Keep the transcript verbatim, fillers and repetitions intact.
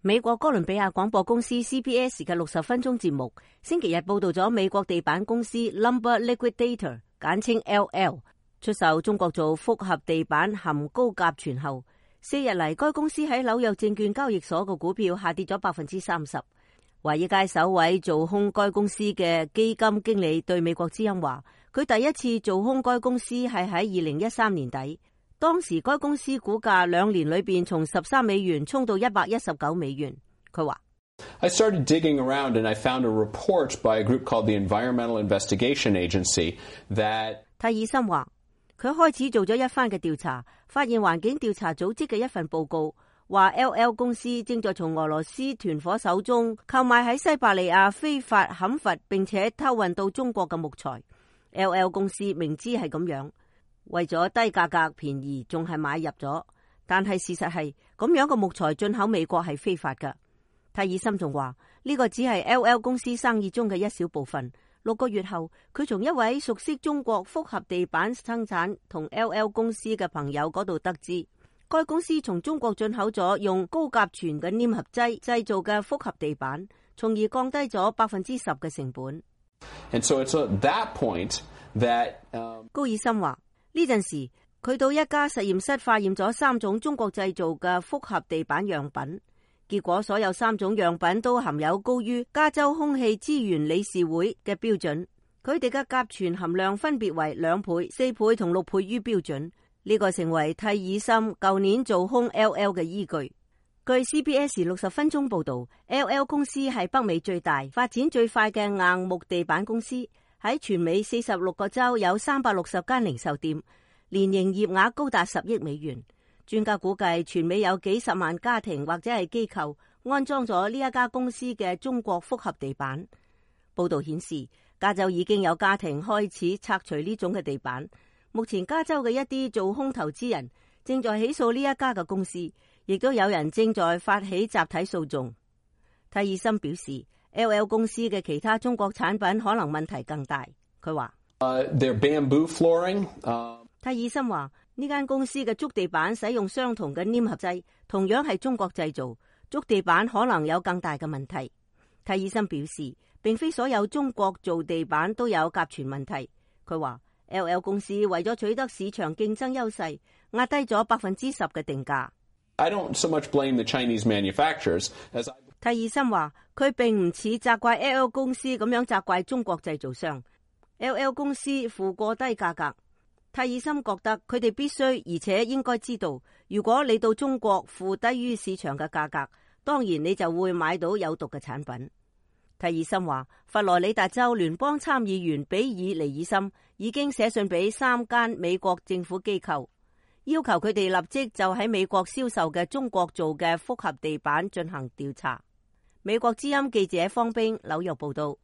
美國哥倫比亞廣播公司 C B S 嘅六十分鐘節目星期日報道咗美國地板公司 Lumber Liquidator 簡稱 L L 出售中國做複合地板含高甲醛後，四日嚟該公司喺紐約證券交易所嘅股票下跌咗百分之三十。華爾街首位做空該公司嘅基金經理對美國之音話，佢第一次做空該公司係喺二零一三年底。當時該公司股價兩年裏邊從十三美元衝到一百一十九美元。佢話 I started digging around and I found a report by a group called the Environmental Investigation Agency that 泰爾森話佢開始做咗一番嘅調查，發現環境調查組織嘅一份報告話 L L 公司正在從俄羅斯團伙手中購買喺西伯利亞非法砍伐並且偷運到中國嘅木材。 L L 公司明知係咁樣，為咗低價格便宜，仲係買入咗。但係事實係咁樣嘅木材進口美國係非法㗎。泰爾森仲話呢個只係 L L 公司生意中嘅一小部分。六個月後，佢從一位熟悉中國複合地板生產同 L L 公司嘅朋友嗰度得知，該公司從中國進口咗用高甲醛嘅黏合劑製造嘅複合地板，從而降低咗百分之十嘅成本。And so it's at that point that, um... 高爾森話呢陣時，佢到一家實驗室化驗咗三種中國製造嘅複合地板樣品，結果所有三種樣品都含有高於加州空氣資源理事會嘅標準，佢哋嘅甲醛含量分別為兩倍、四倍同六倍於標準。呢個成為泰爾森舊年做空 L L 嘅依據。據 C B S 六十分鐘報道， L L 公司係北美最大、發展最快嘅硬木地板公司。喺全美四十六個州有三百六十間零售店，年營業額高達十億美元。專家估計全美有幾十萬家庭或者係機構安裝咗呢一家公司嘅中國複合地板。報道顯示，加州已經有家庭開始拆除呢種嘅地板。目前加州嘅一啲做空投資人正在起訴呢一家嘅公司，亦都有人正在發起集體訴訟。泰爾森表示，L L 公司嘅其他中國產品可能問題更大。佢話Uh, their bamboo flooring. Uh... 泰爾森話呢間公司嘅竹地板使用相同嘅黏合劑，同樣係中國製造，竹地板可能有更大嘅問題。泰爾森表示，並非所有中國做地板都有甲醛問題。佢話 L L 公司為咗取得市場競爭優勢，壓低咗百分之十嘅定價。I don't so much blame the Chinese manufacturers as I... 泰爾森話佢並唔似責怪 L L 公司咁樣責怪中國製造商。L L 公司付過低價格，泰爾森覺得佢哋必須而且應該知道，如果你到中國付低於市場嘅價格，當然你就會買到有毒嘅產品。泰爾森話，佛羅里達州聯邦參議員比爾尼爾森已經寫信俾三間美國政府機構，要求佢哋立即就喺美國銷售嘅中國做嘅複合地板進行調查。美國之音記者方冰紐約報道。